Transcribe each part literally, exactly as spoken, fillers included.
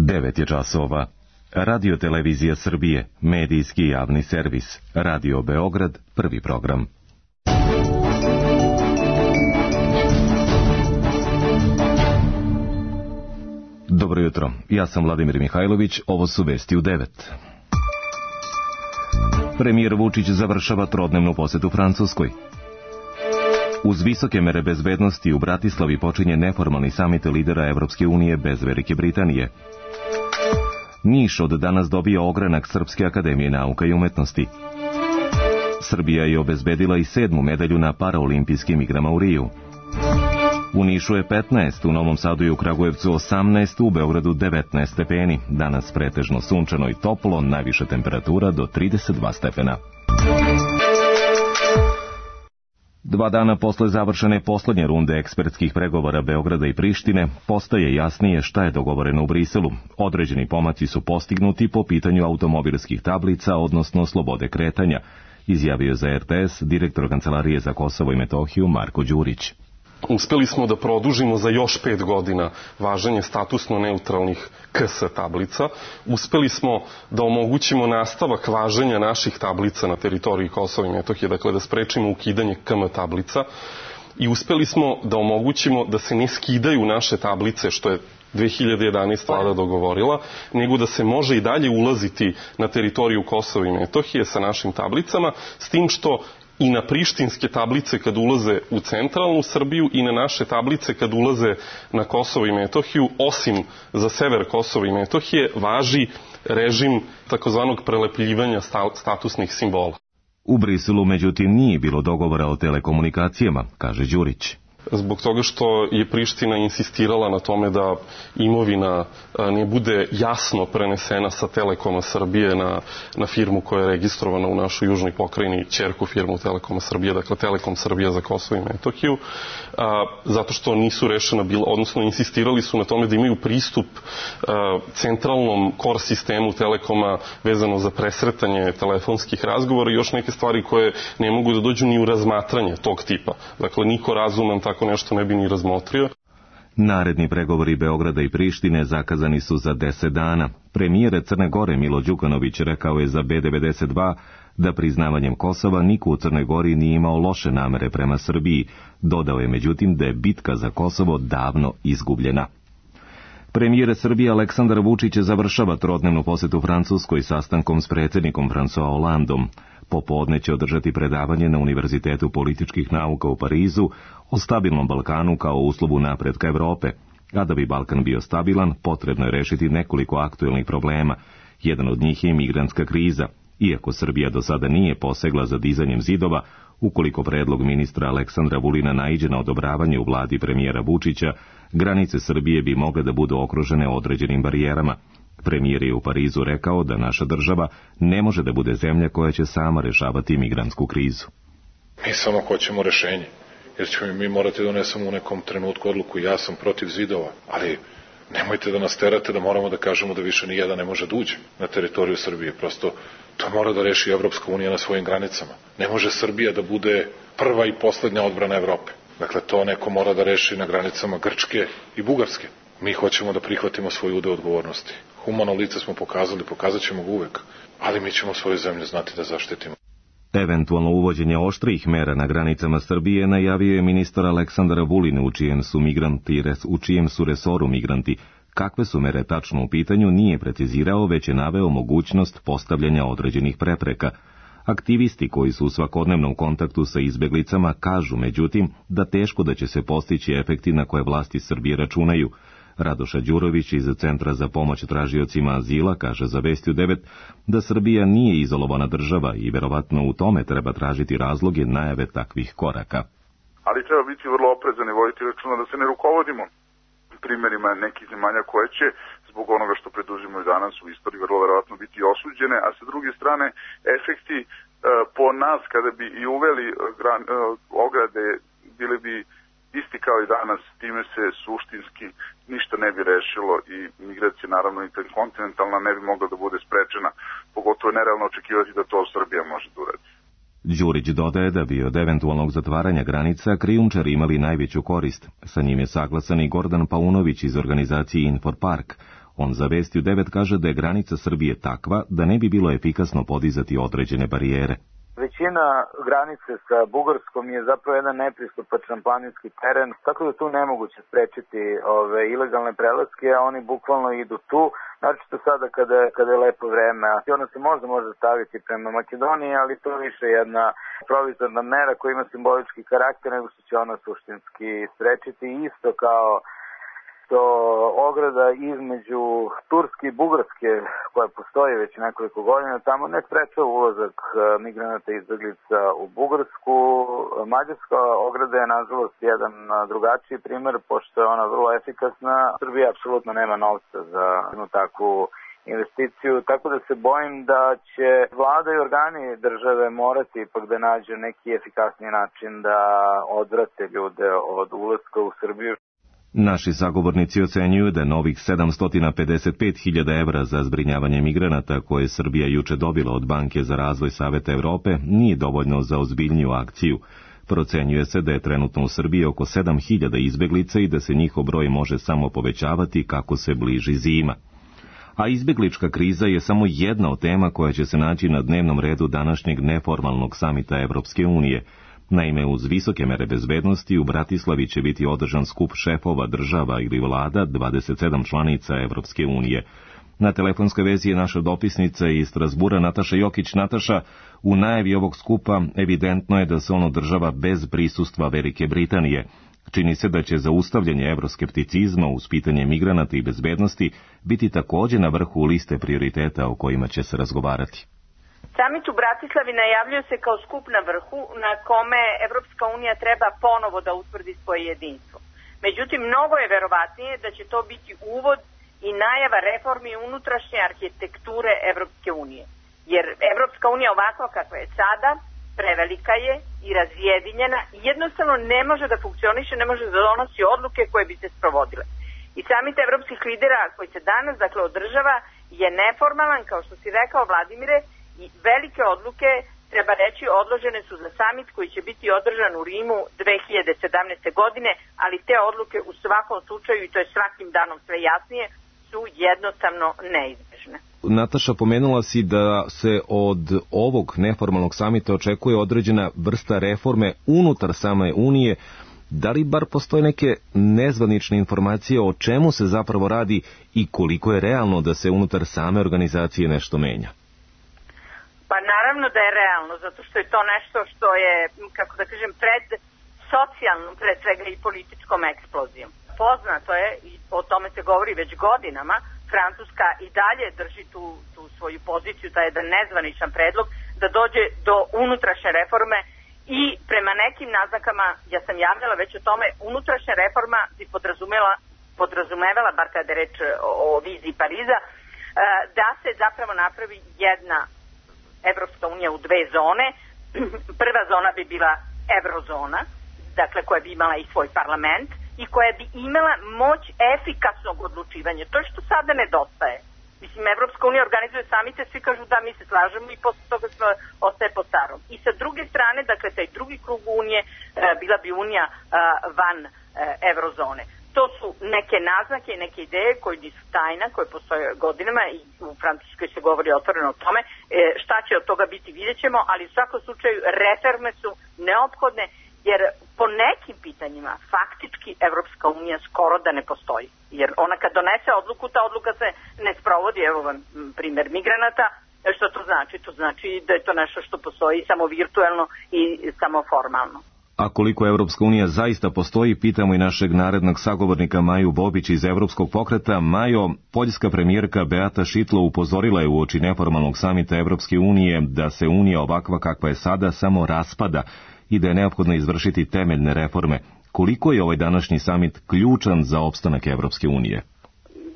devet je časova. Radio Televizija Srbije, medijski javni servis. Radio Beograd, prvi program. Dobro jutro, ja sam Vladimir Mihajlović, ovo su vesti u devet. Premijer Vučić završava trodnevnu posetu Francuskoj. Uz visoke mere bezbednosti u Bratislavi počinje neformalni samit lidera Evropske unije bez Velike Britanije. Niš od danas dobija ogranak Srpske akademije nauka i umetnosti. Srbija je obezbedila i sedmu medalju na paraolimpijskim igrama u Riju. U Nišu je petnaest, u Novom Sadu i u Kragujevcu osamnaest, u Beogradu devetnaest stepeni. Danas pretežno sunčano i toplo, najviša temperatura do trideset dva stepena. Dva dana posle završene poslednje runde ekspertskih pregovora Beograda i Prištine, postaje jasnije šta je dogovoreno u Briselu. Određeni pomaci su postignuti po pitanju automobilskih tablica, odnosno slobode kretanja, izjavio za R T S direktor Kancelarije za Kosovo i Metohiju Marko Đurić. Uspeli smo da produžimo za još pet godina važenje statusno neutralnih K S tablica. Uspeli smo da omogućimo nastavak važenja naših tablica na teritoriji Kosova i Metohije, dakle da sprečimo ukidanje K M tablica. I uspeli smo da omogućimo da se ne skidaju naše tablice, što je dve hiljade jedanaeste. vlada dogovorila, nego da se može i dalje ulaziti na teritoriju Kosova i Metohije sa našim tablicama, s tim što i na prištinske tablice kad ulaze u centralnu Srbiju i na naše tablice kad ulaze na Kosovo i Metohiju, osim za sever Kosova i Metohije, važi režim takozvanog prelepljivanja statusnih simbola. U Briselu, međutim, nije bilo dogovora o telekomunikacijama, kaže Đurić. Zbog toga što je Priština insistirala na tome da imovina ne bude jasno prenesena sa Telekoma Srbije na, na firmu koja je registrovana u našoj južnoj pokrajini, ćerku firmu Telekoma Srbije, dakle Telekom Srbija za Kosovo i Metohiju, a, zato što nisu rešena bila, odnosno insistirali su na tome da imaju pristup a, centralnom core sistemu Telekoma vezano za presretanje telefonskih razgovora i još neke stvari koje ne mogu da dođu ni u razmatranje tog tipa. Dakle, niko razuman tako Tako nešto ne bi ni razmotrio. Naredni pregovori Beograda i Prištine zakazani su za deset dana. Premijer Crne Gore Milo Đukanović rekao je za B devedeset dva da priznavanjem Kosova niko u Crnoj Gori nije imao loše namere prema Srbiji. Dodao je međutim da je bitka za Kosovo davno izgubljena. Premijer Srbije Aleksandar Vučić završava trodnevnu posetu Francuskoj sastankom s predsjednikom François Hollandom. Popodne će održati predavanje na Univerzitetu političkih nauka u Parizu o stabilnom Balkanu kao uslovu napretka Evrope. A da bi Balkan bio stabilan, potrebno je rešiti nekoliko aktuelnih problema. Jedan od njih je imigrantska kriza. Iako Srbija do sada nije posegla za dizanjem zidova, ukoliko predlog ministra Aleksandra Vulina naiđe na odobravanje u vladi premijera Vučića, granice Srbije bi mogle da budu okružene određenim barijerama. Premijer je u Parizu rekao da naša država ne može da bude zemlja koja će sama rešavati migrantsku krizu. Mi samo hoćemo rešenje, jer ćemo mi morati da donesemo u nekom trenutku odluku. Ja sam protiv zidova, ali nemojte da nas terate da moramo da kažemo da više ni jedan ne može da uđe na teritoriju Srbije. Prosto to mora da reši Evropska unija na svojim granicama. Ne može Srbija da bude prva i poslednja odbrana Evrope. Dakle, to neko mora da reši na granicama Grčke i Bugarske. Mi hoćemo da prihvatimo svoj udeo odgovornosti. Humano lice smo pokazali, pokazat ćemo ga uvek, ali mi ćemo svoju zemlju znati da zaštitimo. Eventualno uvođenje oštrijih mera na granicama Srbije najavio je ministar Aleksandar Vulin, u čijem su migranti, u čijem su resoru migranti. Kakve su mere tačno u pitanju nije precizirao, već je naveo mogućnost postavljanja određenih prepreka. Aktivisti koji su u svakodnevnom kontaktu sa izbeglicama kažu, međutim, da teško da će se postići efekti na koje vlasti Srbije računaju. Radoša Đurović iz Centra za pomoć tražiocima azila kaže za Vesti u devet da Srbija nije izolovana država i verovatno u tome treba tražiti razloge najave takvih koraka. Ali treba biti vrlo oprezan i voditi računa da se ne rukovodimo primjerima nekih zemalja koje će zbog onoga što preduzimaju danas u istoriji vrlo verovatno biti osuđene, a sa druge strane efekti e, po nas kada bi i uveli gran, e, ograde bili bi isti kao i danas, time se suštinski ništa ne bi rešilo i migracija naravno interkontinentalna ne bi mogla da bude sprečena, pogotovo je nerealno očekivati da to Srbija može da uradi. Đurić dodaje da bi od eventualnog zatvaranja granica krijumčari imali najveću korist. Sa njim je saglasan i Gordan Paunović iz organizacije Infor Park. On za Vesti u devet kaže da je granica Srbije takva da ne bi bilo efikasno podizati određene barijere. Većina granice sa Bugarskom je zapravo jedan nepristupačan planinski teren, tako da tu nemoguće sprečiti ove ilegalne prelaske, a oni bukvalno idu tu, naročito sada kada, kada je lepo vreme. A ona se možda može staviti prema Makedoniji, ali to je više jedna provizorna mera koja ima simbolički karakter, nego što će ona suštinski sprečiti, isto kao to ograda između Turske i Bugarske, koja postoji već nekoliko godina, tamo ne sprečava ulazak migranata i izbeglica u Bugarsku. Mađarska ograda je, nažalost, jedan drugačiji primer, pošto je ona vrlo efikasna. Srbija apsolutno nema novca za jednu takvu investiciju, tako da se bojim da će vlada i organi države morati ipak da nađu neki efikasniji način da odvrate ljude od ulaska u Srbiju. Naši sagovornici ocenjuju da novih sedamsto pedeset pet hiljada evra za zbrinjavanje migranata koje je Srbija juče dobila od Banke za razvoj Saveta Evrope nije dovoljno za ozbiljniju akciju. Procenjuje se da je trenutno u Srbiji oko sedam hiljada izbeglica i da se njihov broj može samo povećavati kako se bliži zima. A izbeglička kriza je samo jedna od tema koja će se naći na dnevnom redu današnjeg neformalnog samita Evropske unije. Naime, uz visoke mere bezbednosti u Bratislavi će biti održan skup šefova država ili vlada dvadeset sedam članica Evropske unije. Na telefonskoj vezi je naša dopisnica iz Strasbura Nataša Jokić. Nataša, u najavi ovog skupa evidentno je da se on održava bez prisustva Velike Britanije. Čini se da će zaustavljanje evroskepticizma uz pitanje migranata i bezbednosti biti također na vrhu liste prioriteta o kojima će se razgovarati. Samit u Bratislavi najavljuje se kao skup na vrhu na kome Evropska unija treba ponovo da utvrdi svoje jedinstvo. Međutim, mnogo je verovatnije da će to biti uvod i najava reformi unutrašnje arhitekture Evropske unije. Jer Evropska unija ovakva kakva je sada, prevelika je i razjedinjena i jednostavno ne može da funkcioniše, ne može da donosi odluke koje bi se sprovodile. I samit evropskih lidera koji se danas dakle održava je neformalan, kao što si rekao Vladimire, i velike odluke, treba reći, odložene su za samit koji će biti održan u Rimu dve hiljade sedamnaeste. godine, ali te odluke u svakom slučaju, i to je svakim danom sve jasnije, su jednostavno neizbežne. Nataša, pomenula si da se od ovog neformalnog samita očekuje određena vrsta reforme unutar same Unije. Da li bar postoje neke nezvanične informacije o čemu se zapravo radi i koliko je realno da se unutar same organizacije nešto menja? Pa naravno da je realno, zato što je to nešto što je, kako da kažem, pred socijalnom, pred svega i političkom eksplozijom. Poznato je, i o tome se govori već godinama, Francuska i dalje drži tu, tu svoju poziciju, taj jedan nezvaničan predlog, da dođe do unutrašnje reforme i prema nekim naznakama, ja sam javljala već o tome, unutrašnja reforma bi podrazumevala, podrazumevala, bar kada je reč o, o viziji Pariza, da se zapravo napravi jedna Evropska unija u dve zone. Prva zona bi bila eurozona, dakle koja bi imala i svoj parlament i koja bi imala moć efikasnog odlučivanja. To je što sada nedostaje. Mislim, Evropska unija organizuje samite, svi kažu da mi se slažemo i posle toga sve ostaje po starom. I sa druge strane, dakle, taj drugi krug unije bila bi unija van eurozone. To su neke naznake i neke ideje koje nisu tajna, koje postoje godinama i u Francuskoj se govori otvoreno o tome. E, šta će od toga biti, vidjet ćemo, ali u svakom slučaju reforme su neophodne, jer po nekim pitanjima faktički Evropska unija skoro da ne postoji. Jer ona kad donese odluku, ta odluka se ne sprovodi. Evo vam primjer migranata. Što to znači? To znači da je to nešto što postoji samo virtuelno i samo formalno. A koliko Evropska unija zaista postoji, pitamo i našeg narednog sagovornika Maju Bobić iz Evropskog pokreta. Majo, poljska premijerka Beata Šidlo upozorila je uoči neformalnog samita Evropske unije da se unija ovakva kakva je sada samo raspada i da je neophodno izvršiti temeljne reforme. Koliko je ovaj današnji samit ključan za opstanak Evropske unije?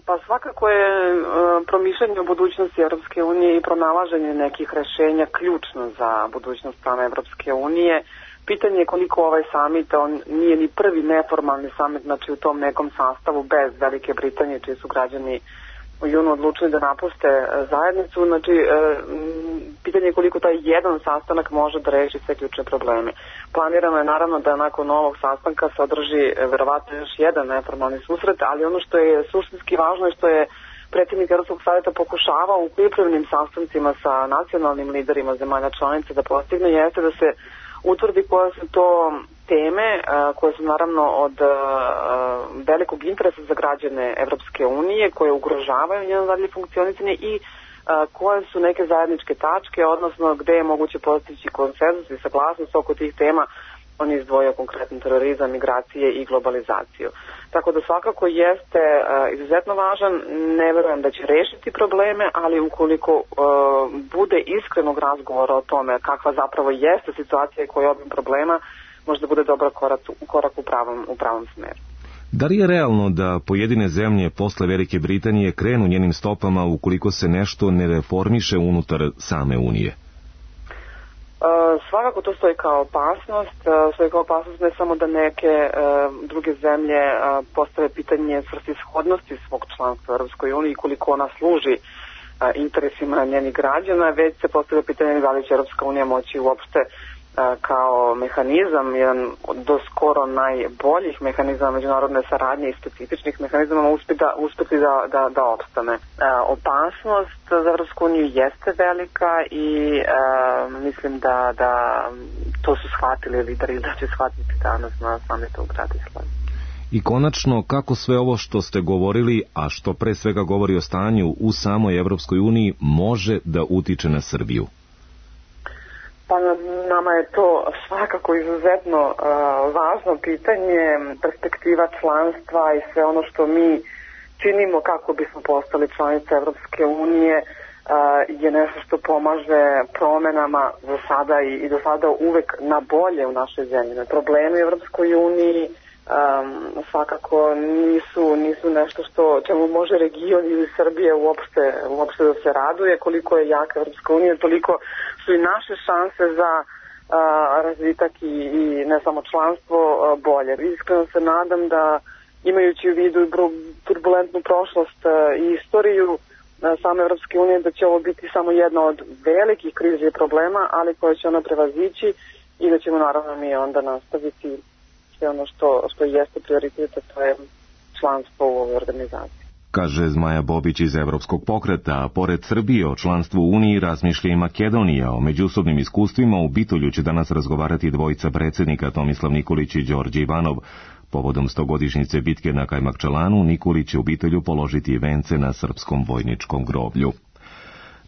Pa svakako je e, promišljanje o budućnosti Evropske unije i pronalaženje nekih rešenja ključno za budućnost same Evropske unije. Pitanje je koliko ovaj samit, on nije ni prvi neformalni samit, znači u tom nekom sastavu bez Velike Britanije, čiji su građani u junu odlučili da napuste zajednicu. Znači, e, pitanje je koliko taj jedan sastanak može da reši sve ključne probleme. Planirano je naravno da nakon ovog sastanka se održi verovatno još jedan neformalni susret, ali ono što je suštinski važno je što je predsjednik Evropskog savjeta pokušavao u pripremnim sastancima sa nacionalnim liderima zemalja članica da postigne, jeste da se utvrdi koje su to teme koje su naravno od velikog interesa za građane Evropske unije, koje ugrožavaju njeno dalje funkcionisanje i koje su neke zajedničke tačke, odnosno gde je moguće postići konsenzus i saglasnost oko tih tema. On je izdvojio konkretno terorizam, migracije i globalizaciju. Tako da svakako jeste uh, izuzetno važan, ne verujem da će rešiti probleme, ali ukoliko uh, bude iskrenog razgovora o tome kakva zapravo jeste situacija i koji je obim problema, možda bude dobar korak, korak u pravom, u pravom smeru. Da li je realno da pojedine zemlje posle Velike Britanije krenu njenim stopama ukoliko se nešto ne reformiše unutar same Unije? Uh, svakako to stoji kao opasnost, uh, stoji kao opasnost ne samo da neke uh, druge zemlje uh, postave pitanje svrsishodnosti svog članstva u Europskoj uniji i koliko ona služi uh, interesima njenih građana, već se postavlja pitanje da li će Europska unija moći uopšte uh, kao mehanizam, jedan do skoro najboljih mehanizama međunarodne saradnje i specifičnih mehanizama uspeti da, uspeti da, da, da opstane. Uh, opasnost za Evropsku uniju jeste velika i uh, mislim da, da to su shvatili lideri da će shvatiti danas na samitu u Bratislavi. I konačno, kako sve ovo što ste govorili, a što pre svega govori o stanju u samoj Evropskoj uniji, može da utiče na Srbiju? Pa nama je to svakako izuzetno uh, važno pitanje, perspektiva članstva i sve ono što mi činimo kako bismo postali članice Evropske unije uh, je nešto što pomaže promenama za sada i, i do sada uvek na bolje u našoj zemlji. Problemi u Evropskoj uniji um, svakako nisu, nisu nešto što čemu može region ili Srbija uopšte, uopšte da se raduje. Koliko je jaka Evropska unija, toliko su i naše šanse za uh, razvitak i, i ne samo članstvo uh, bolje. Iskreno se nadam da imajući u vidu turbulentnu prošlost uh, i istoriju uh, same Evropske unije, da će ovo biti samo jedna od velikih kriza i problema, ali koje će ona prevazići i da ćemo naravno mi onda nastaviti sve ono što, što jeste prioritet, a to je članstvo u ovoj organizaciji. Kaže Zmaja Bobić iz Evropskog pokreta, a pored Srbije o članstvu u Uniji razmišlja i Makedonija. O međusobnim iskustvima u Bitolju će danas razgovarati dvojica predsjednika Tomislav Nikolić i Đorđe Ivanov. Povodom stogodišnjice bitke na Kajmakčalanu, Nikolić će u Bitolju položiti vence na srpskom vojničkom groblju.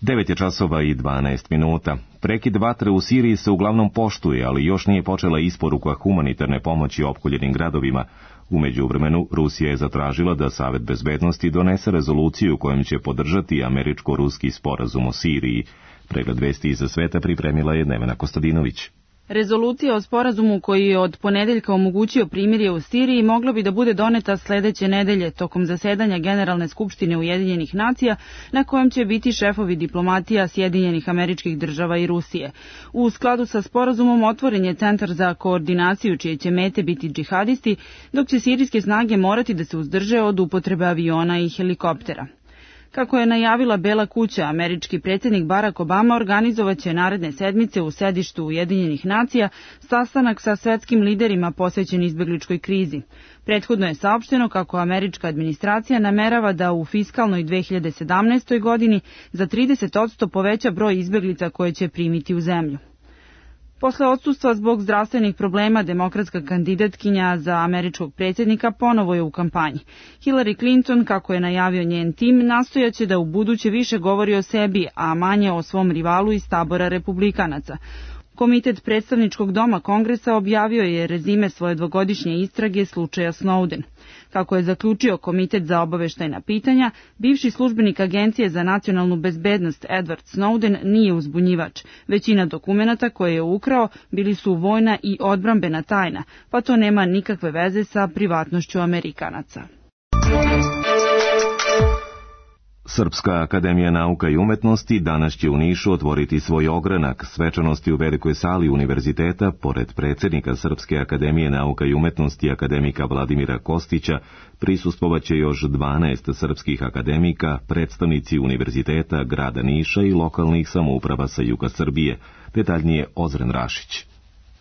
devet je časova i dvanaest minuta. Prekid vatre u Siriji se uglavnom poštuje, ali još nije počela isporuka humanitarne pomoći opkoljenim gradovima. U međuvremenu, Rusija je zatražila da Savet bezbednosti donese rezoluciju kojom će podržati američko-ruski sporazum o Siriji. Pregled vesti iza sveta pripremila je Nevena Kostadinović. Rezolucija o sporazumu koji je od ponedeljka omogućio primirje u Siriji mogla bi da bude doneta sledeće nedelje tokom zasedanja Generalne skupštine Ujedinjenih nacija na kojem će biti šefovi diplomatija Sjedinjenih Američkih Država i Rusije. U skladu sa sporazumom otvoren je centar za koordinaciju čije će mete biti džihadisti, dok će sirijske snage morati da se uzdrže od upotrebe aviona i helikoptera. Kako je najavila Bela kuća, američki predsjednik Barack Obama organizovaće naredne sedmice u sedištu Ujedinjenih nacija sastanak sa svetskim liderima posvećen izbegličkoj krizi. Prethodno je saopšteno kako američka administracija namerava da u fiskalnoj dve hiljade sedamnaestoj. godini za trideset posto poveća broj izbeglica koje će primiti u zemlju. Posle odsustva zbog zdravstvenih problema, demokratska kandidatkinja za američkog predsjednika ponovo je u kampanji. Hillary Clinton, kako je najavio njen tim, nastojaće da u buduće više govori o sebi, a manje o svom rivalu iz tabora republikanaca. Komitet predstavničkog doma Kongresa objavio je rezime svoje dvogodišnje istrage slučaja Snowden. Kako je zaključio Komitet za obaveštajna pitanja, bivši službenik Agencije za nacionalnu bezbednost Edward Snowden nije uzbunjivač. Većina dokumenata koje je ukrao bili su vojna i odbrambena tajna, pa to nema nikakve veze sa privatnošću Amerikanaca. Srpska akademija nauka i umetnosti danas će u Nišu otvoriti svoj ogranak svečanosti u velikoj sali univerziteta. Pored predsjednika Srpske akademije nauka i umetnosti akademika Vladimira Kostića prisustvovaće još dvanaest srpskih akademika, predstavnici univerziteta, grada Niša i lokalnih samouprava sa juga Srbije. Detaljnije Ozren Rašić.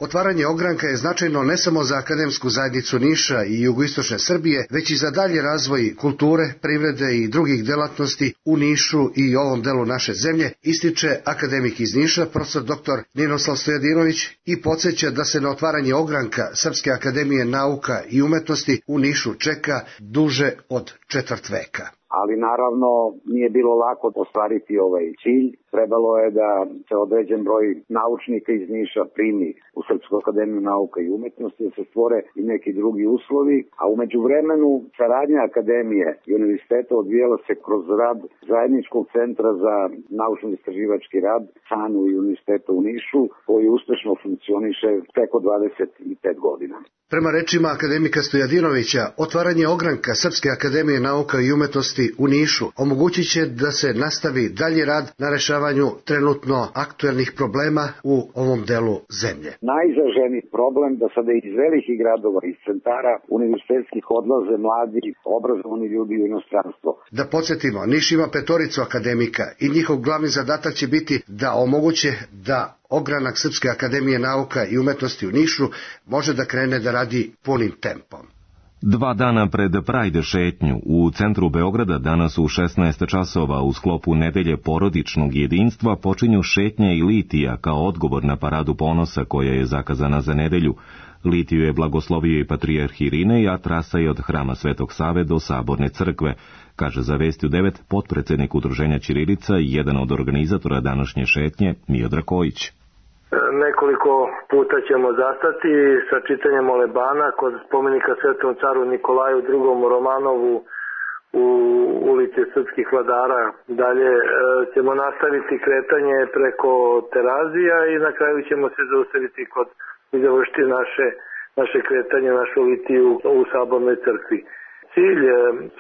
Otvaranje ogranka je značajno ne samo za akademsku zajednicu Niša i jugoistočne Srbije, već i za dalji razvoj kulture, privrede i drugih delatnosti u Nišu i ovom delu naše zemlje, ističe akademik iz Niša, profesor doktor Ninoslav Stojadinović, i podsjeća da se na otvaranje ogranka Srpske akademije nauka i umetnosti u Nišu čeka duže od četvrt veka. Ali naravno nije bilo lako ostvariti ovaj cilj. Trebalo je da se određen broj naučnika iz Niša primi u Srpsku akademiju nauka i umetnosti, da se stvore i neki drugi uslovi, a u međuvremenu saradnja akademije i univerziteta odvijala se kroz rad zajedničkog centra za naučno-istraživački rad SANU i univerziteta u Nišu, koji uspešno funkcioniše preko dvadeset pet godina. Prema rečima akademika Stojadinovića, otvaranje ogranka Srpske akademije nauka i umetnosti u Nišu omogućit će da se nastavi dalji rad na rešavanju trenutno aktuelnih problema u ovom delu zemlje. Najizraženiji problem da sada iz velikih gradova, iz centara univerzitetskih odlaze mladi, obrazovani ljudi u inostranstvo. Da podsjetimo, Niš ima petoricu akademika i njihov glavni zadatak će biti da omoguće da ogranak Srpske akademije nauka i umetnosti u Nišu može da krene da radi punim tempom. Dva dana pred Prajde šetnju u centru Beograda danas u šesnaest časova u sklopu nedelje porodičnog jedinstva počinju šetnje i litija kao odgovor na paradu ponosa koja je zakazana za nedelju. Litiju je blagoslovio i patrijarh Irinej, a trasa je od Hrama Svetog Save do Saborne crkve, kaže za Vestiju devet potpredsednik Udruženja Ćirilica i jedan od organizatora današnje šetnje, Miodrag Kojić. Nekoliko puta ćemo zastati sa čitanjem molebana kod spomenika Svetom caru Nikolaju drugom Romanovu u ulici Srpskih vladara. Dalje e, ćemo nastaviti kretanje preko Terazija i na kraju ćemo se zaustaviti kod i završiti naše, naše kretanje, našu litiju u Sabornoj crkvi. Cilj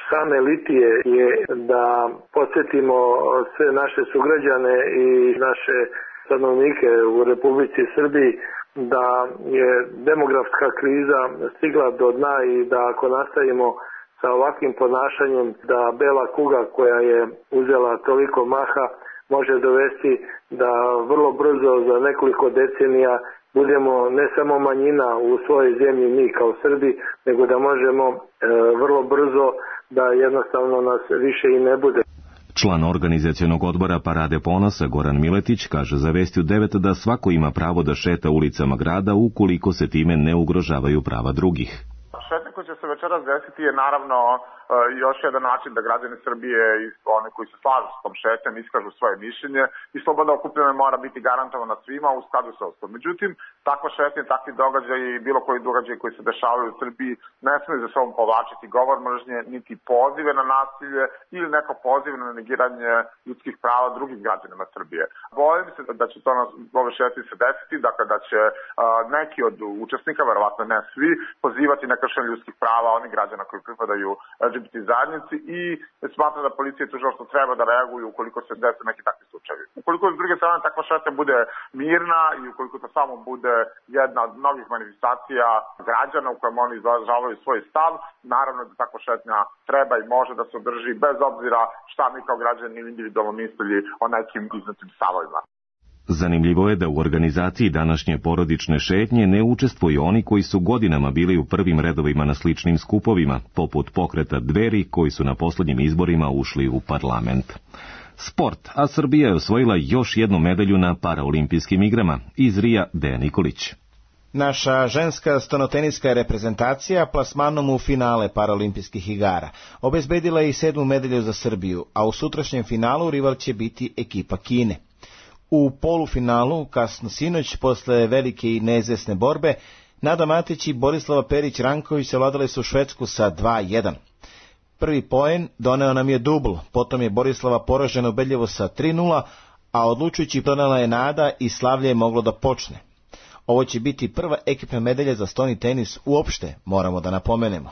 same litije je da podsjetimo sve naše sugrađane i naše stanovnike u Republici Srbiji da je demografska kriza stigla do dna i da ako nastavimo sa ovakvim ponašanjem da bela kuga koja je uzela toliko maha može dovesti da vrlo brzo za nekoliko decenija budemo ne samo manjina u svojoj zemlji mi kao Srbi, nego da možemo e, vrlo brzo da jednostavno nas više i ne bude. Član organizacionog odbora Parade ponosa Goran Miletić kaže za Vestiju devet da svako ima pravo da šeta ulicama grada ukoliko se time ne ugrožavaju prava drugih. Šetnja koja će se večeras desiti je naravno još jedan način da građani Srbije i oni koji se slažu s tom šetnjom iskažu svoje mišljenje i sloboda okupljanja mora biti garantovana svima u skladu sa Ustavom. Međutim, takva šetnja, takvi događaji i bilo koji događaji koji se dešavaju u Srbiji ne smiju za sobom povlačiti govor mržnje, niti pozive na nasilje ili neko poziv na negiranje ljudskih prava drugim građanima Srbije. Bojim se da će to na ove šetnje se desiti, dakle da će a, neki od učesnika, verovatno ne svi, pozivati na kršenje ljudskih prava onih građana koji pripadaju L G B T zajednici i smatra da policija i tužilaštvo treba da reaguju ukoliko se dese neki takvi slučajevi. Ukoliko s druge strane takva šetnja bude mirna i ukoliko to samo bude jedna od mnogih manifestacija građana u kojem oni izražavaju svoj stav, naravno da takva šetnja treba i može da se održi bez obzira šta mi kao građani ili individualno mislili o nekim iznetim stavovima. Zanimljivo je da u organizaciji današnje porodične šetnje ne učestvuju oni koji su godinama bili u prvim redovima na sličnim skupovima, poput pokreta Dveri koji su na poslednjim izborima ušli u parlament. Sport, a Srbija je osvojila još jednu medalju na paraolimpijskim igrama. Iz Rija, Dejan Nikolić. Naša ženska stonoteniska reprezentacija plasmanom u finale paraolimpijskih igara obezbedila je i sedmu medalju za Srbiju, a u sutrašnjem finalu rival će biti ekipa Kine. U polufinalu, kasno sinoć, posle velike i neizvesne borbe, Nada Matić i Borislava Perić-Ranković savladale su Švedsku sa dva jedan. Prvi poen doneo nam je dubl, potom je Borislava poražena ubedljivo sa tri nula, a odlučujući donela je Nada i slavlje je moglo da počne. Ovo će biti prva ekipna medalja za stoni tenis uopšte, moramo da napomenemo.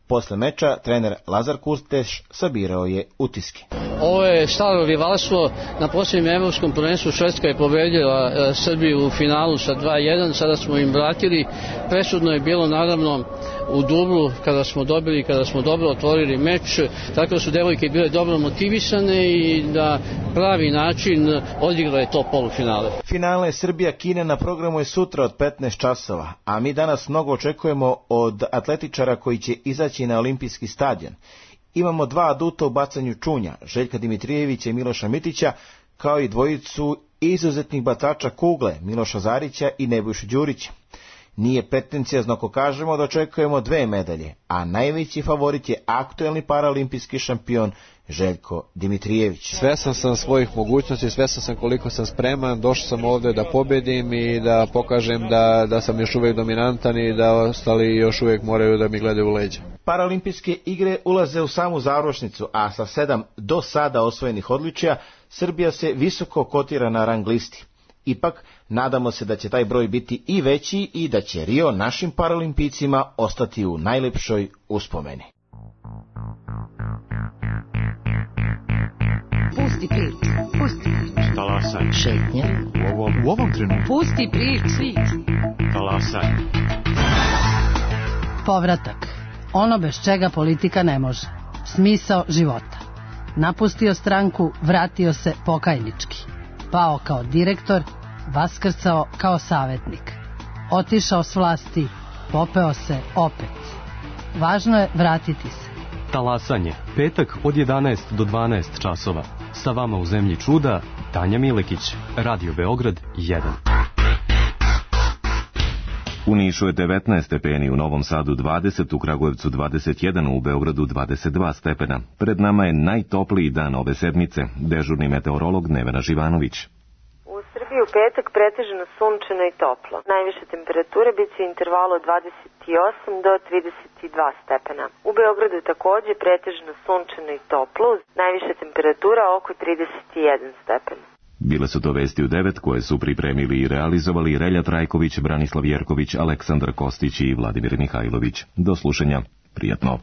Posle meča trener Lazar Kusteš sabirao je utiske. Ovo je staro rivalstvo. Na posljednjem evropskom prvenstvu Švedska je pobedila e, Srbiju u finalu sa dva jedan, sada smo im vratili. Presudno je bilo naravno u dublu kada smo dobili, kada smo dobro otvorili meč, tako da su devojke bile dobro motivisane i da pravi način odigrale to polufinale. Finale Srbija-Kina na programu je sutra od petnaest časova, a mi danas mnogo očekujemo od atletičara koji će izaći na olimpijski stadion. Imamo dva aduta u bacanju čunja, Željka Dimitrijevića i Miloša Mitića, kao i dvojicu izuzetnih bacača kugle, Miloša Zarića i Nebojšu Đurića. Nije pretencijazno ako kažemo da očekujemo dve medalje, a najveći favorit je aktuelni paraolimpijski šampion Željko Dimitrijević. Svesan sam svojih mogućnosti, svesan sam koliko sam spreman, došao sam ovde da pobedim i da pokažem da, da sam još uvijek dominantan i da ostali još uvijek moraju da mi gledaju u leđa. Paraolimpijske igre ulaze u samu završnicu, a sa sedam do sada osvojenih odličja Srbija se visoko kotira na rang listi. Ipak, nadamo se da će taj broj biti i veći i da će Rio našim paraolimpijcima ostati u najlepšoj uspomeni. Pusti priču, pusti priču. Talasaj. Šetnja. U ovom, u ovom trenutku. Pusti priču. Talasaj. Povratak. Ono bez čega politika ne može. Smisao života. Napustio stranku, vratio se pokajnički. Pao kao direktor, vaskrcao kao savjetnik. Otišao s vlasti, popeo se opet. Važno je vratiti se. Talasanje, petak od jedanaest do dvanaest časova. Sa vama u zemlji čuda, Tanja Milekić, Radio Beograd jedan. U Nišu je devetnaest stepeni, u Novom Sadu dvadeset, u Kragujevcu dvadeset jedan, u Beogradu dvadeset dva stepena. Pred nama je najtopliji dan ove sedmice. Dežurni meteorolog Nevena Živanović. U Srbiji u petak pretežno sunčano i toplo. Najviše temperature bit će u intervalu od dvadeset osam do trideset dva stepena. U Beogradu takođe pretežno sunčano i toplo, najviše temperatura oko trideset jedan stepen. Bile su to vesti u devet koje su pripremili i realizovali Relja Trajković, Branislav Jerković, Aleksandar Kostić i Vladimir Mihajlović. Do slušanja. Prijatno.